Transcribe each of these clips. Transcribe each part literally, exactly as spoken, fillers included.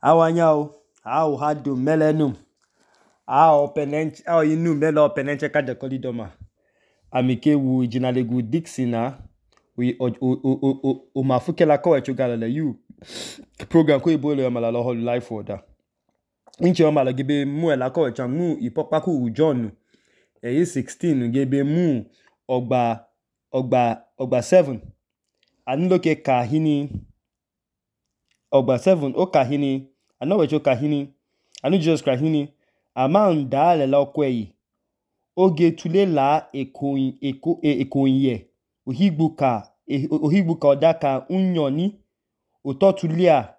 Awanyao, ao hado melenum, ao penench, ao inu melo penenche kaja kolidoma. Amike wu jinalegu Dixina, we o o o o o mafuke la kowe chugala la you. Program ko ibo le amala lo life order. Inche amala gebe mu e la kowe chamu ipokpaku John. E sixteen gebe mu ogba ogba ogba seven. Aniloke kahini ogba seven o kahini ano wecho kahini anu Jesus kahini ama nda le la okweyi oge tule la ekoyin eko ekoyin ohigbuka ohigbuka odaka unyoni ototulia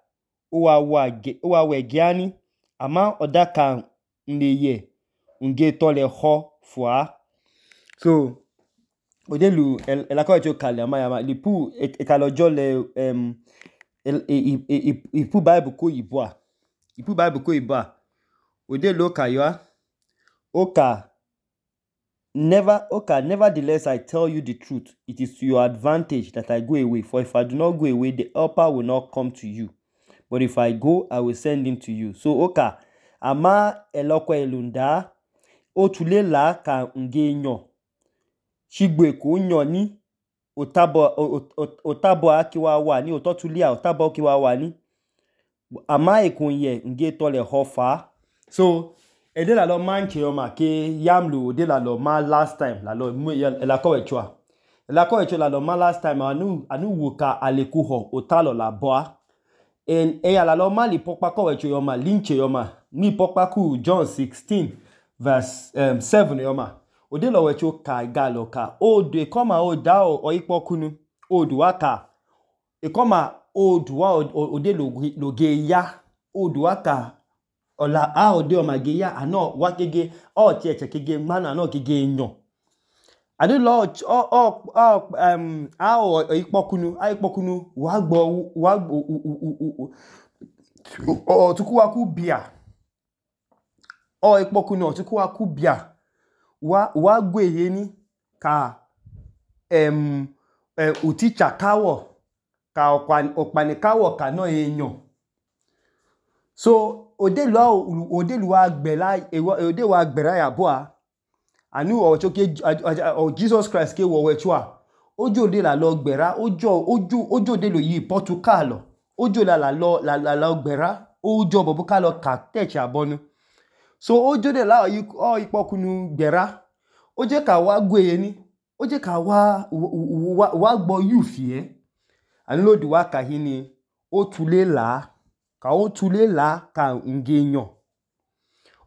owa wage owa wegiani ama odaka nleye nge tole ho fua. So odelu elako echo kale ama yama lipu ekalojo le um ipu Bible ko yibwa ipu Bible ko yibwa odelu kayoa oka never oka nevertheless I tell you the truth, it is to your advantage that I go away, for if I do not go away the helper will not come to you, but if I go I will send him to you. So oka ama eloko elunda otule la ka ngenyo shigbe ko nyoni otabo otabo akiwa wa ni ototulia otabo akiwa wa ni ama ekonye nge tole hofa. So ede la lo manche yoma ke yamlu ode la lo ma last time la lo la ko echwa la ko echwa la lo ma last time anu anu wuka alekuho otalo la boa en e la lo ma li pokpa ko echwa yoma linche yoma ni pokpa ku John sixteen verse um, seven yoma ode lo wecho ka galo ka o de koma o da o ipokunu o duwa ka e koma o duwa ode lo ge ya o duwa ka ola a ode o mage ya ano wa gege o ti eche kege mana no gege nyon adu lo o o um a o ipokunu a ipokunu wa gbo wa o tukuwa ku bia o ipokunu o tukuwa ku bia wa wa gweye ni ka em eh, uticha kawo ka okpani kawo ka no enyon. So odelu odelu wa gbela ode wa gbera ya boa anu o choke Jesus Christ ke wo wechwa ojo de la lo gbera ojo ojo ojo de lo yi Portugal ojo la la lo la la lo gbera ojo bobu ka lo ka teach abonu. So ojo de la o ipokunu gbera oje ka wa gweye ni oje ka wa wa wa gbo youth ye anu lo duwa ka hini o tule la ka o tule la ka ngenyon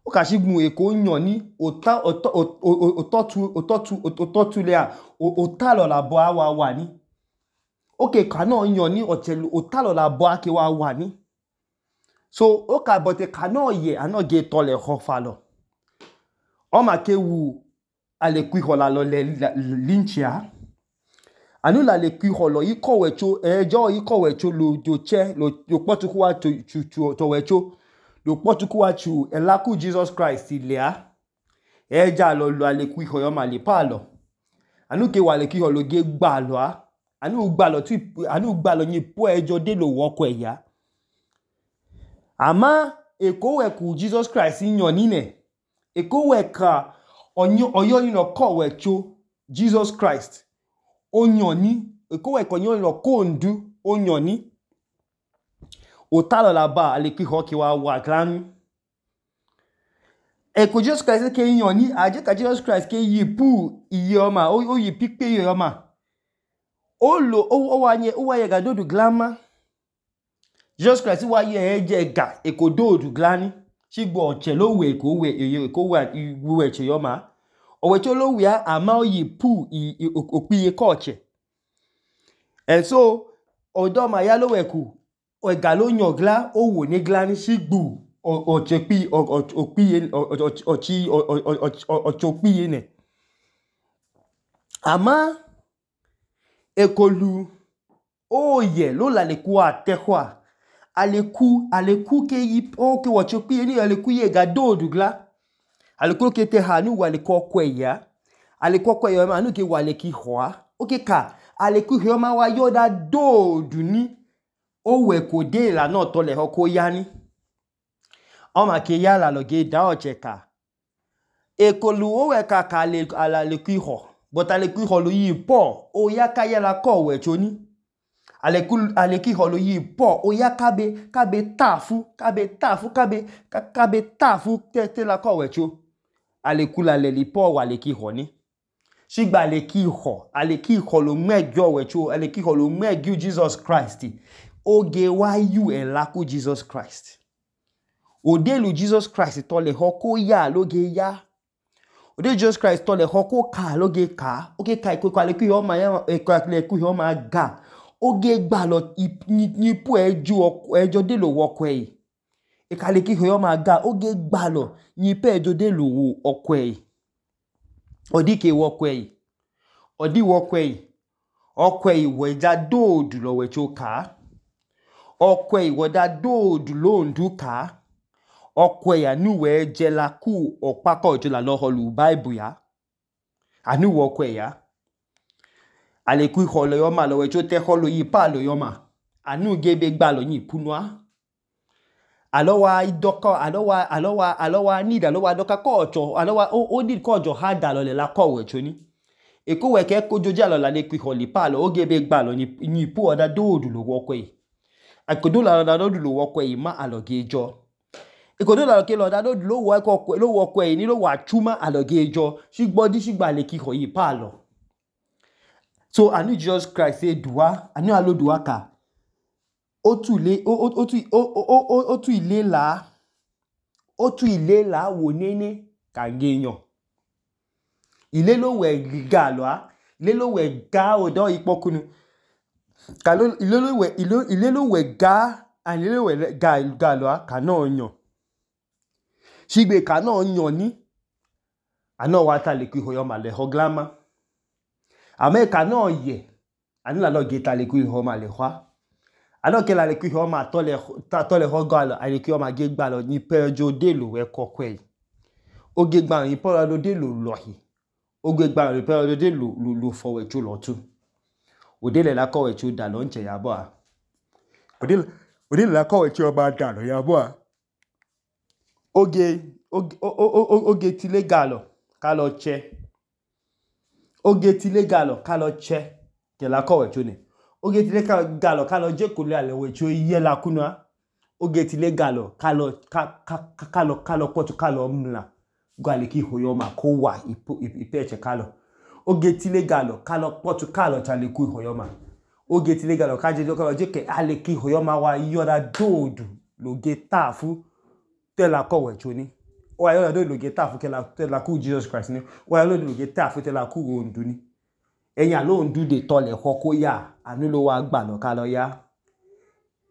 o ka shigun eko nyon ni ota ototu ototu ototule a otalo la bo awa wa ni oke ka no nyon ni otelu otalo la bo ake wa wa ni. So o ka bote ka no ye ano ge tole hofa lo o ma ke wu ale kwi hola lo le linchia anu la le kwi holo iko wecho ejo iko wecho lo do che lo lo potuku wa to to to wecho lo potuku wa chu elaku Jesus Christ ilea eja lo lo ale kwi hoyo ma le pa lo anu ke wa le kwi holo ge gba lo a anu gba lo tu anu gba lo yin po ejo de lo woko eya ama eko we ku Jesus Christ nyon ni ne eko we ka onyo oyo ni no ko wecho Jesus Christ onyoni eko we konyo lo kondu onyoni otalo la ba ale ki ho ki wa wa gran eko Jesus Christ ke nyoni aje ka Jesus Christ ke yipu iyoma o yi pipe iyoma o lo o wa nye o wa ye ga dodu glama Jesus Christ wa ye eje ga eko dodu glani shigbo oche lo we ko we eko wa we che yoma owecho lo wi a ama o yipu opiye ko oche. And so odo ma ya lo weku o ga lo nyon gla o wo ni gla ni shigbu o chepi opiye ochi ochopiye ne ama ekolu oye lo la le ku atehwa aleku aleku ke yi o ke wo chopiye ni aleku ye ga dodu gla aleku ke te ha ni wa le ko kweya aleku kweya ma nu ke wa le ki hoa o ke ka aleku hioma wa yoda dodu ni o we ko de la no to le ho ko ya ni ọma ke ya la lo ge da ọchẹ ka ekolu owe ka ka le ala le ku ihọ but ale ku ihọ lo yi po o ya ka ya la ko we choni ale ku ale ki ihọ lo yi po o ya ka be ka be tafu ka be tafu ka be ka, ka be tafu te te la ko we cho ale ku la le li po wa le ki ihọ ni shigba ale ki ihọ ale ki ihọ lo mejo we cho ale ki ihọ lo mejo Jesus Christ oge wa yu e la ku Jesus Christ odelu Jesus Christ to le ho ko ya lo ge ya odelu Jesus Christ to le ho ko ka lo ge ka oge ka iko ka le ku ihọ ma ya e ka le ku ihọ ma ga oge gba lo ni pu ejo ejo de lo wo kwe e ka le ki ihọ ma ga oge gba lo ni pe ejo de lo wo okwe odi ke wo kwe odi wo kwe okwe we ja do du lo we cho ka okwe we da do du lo ndu ka okwe ya nu we je la ku opako jo la lo holu Bible ya anu wo kwe ya ale ku ihọ lo yo ma lo we cho te holo yi pa lo yo ma anu gebe gba lo yin punwa alowa idoko alowa alowa alowa need alowa doka ko ocho alowa o, o need ko ojo ha da lo le la ko we cho ni eko we ke ko joja lo la le ku ihọ li pa lo o gebe gba lo ni ni pu oda do du lo wo kwe akodo la da do du lo wo kwe ma aloge jo ikodo la ke lo da do du lo wo ko lo wo kwe ni lo wa chuma aloge jo shigbodi shigba le ki ihọ yi pa lo so anu Jesus Christ say duwa anu alo duwa ka otu ile otu otu ile la otu ile la wo nene ka geyan ile lo we ga lo a ile lo we ga odo ipokunu ka lo ile lo we ile lo we ga and ile lo we ga ga lo a ka na yan shigbe ka na yan ni ana wa ta le ku ihọ yo ma le ho glama America no ye ani la lo ge ta le ku ihọ ma le hwa ano ke la le ku ihọ ma to le ta to le ho ga lo ale ku ihọ ma ge gba lo ni pe jo de lo we kokwe o ge gba yin po lo de lo lo hi o ge gba yin po lo de lo lo fo we chu lo tu o de le la ko we chu da lo nche ya bo a o de o de la ko we chu ba da lo ya bo a oge oge oge ti le ga lo ka lo che oge ti le ga lo ka lo che ke la ko we chu ni oge ti le ga lo ka lo je ko le ale we chu ye la kunwa oge ti le ga lo ka lo ka ka ka lo ka lo potu ka lo mla go ale ki ihọ yo ma ko wa ipe eche ka lo oge ti le ga lo ka lo potu ka lo cha le ku ihọ yo ma oge ti le ga lo ka je ka lo je ke ale ki ihọ yo ma wa yo da dodu lo ge tafu te la ko we chu ni o wa yo da dodu lo ge tafu ke la te la ku Jesus Christ ni o wa yo lo ge tafu te la ku ondu ni eyan lo ndu de to le ho ko ya anu lo wa gba lo ka lo ya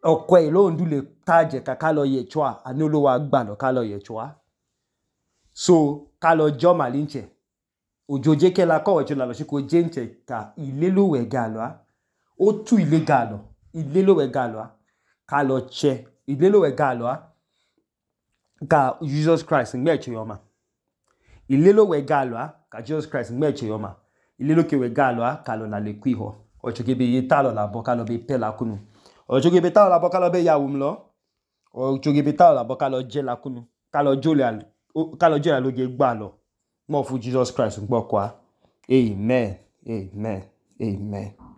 okwe lo ndu le taje ka ka lo ye chwa anu lo wa gba lo ka lo ye chwa so ka lo jo malinche ojoje ke la ko we chu la lo shi ko jenche ka ile lo we ga lo a o tu ile ga lo ile lo we ga lo a ka lo che ile lo we ga lo a ka Jesus Christ ngbe che yo ma ile lo we ga lo a ka Jesus Christ ngbe che yo ma ile lo ke we ga lo a ka lo la le ku ihọ o che ke be ye ta lo la bo ka lo be pe la kunu o che ke be ta lo la bo ka lo be ya wum lo o che ke be ta lo la bo ka lo je la kunu ka lo jo le al ka lo je la lo ge gba lo mo fu Jesus Christ ngbo kwa amen amen amen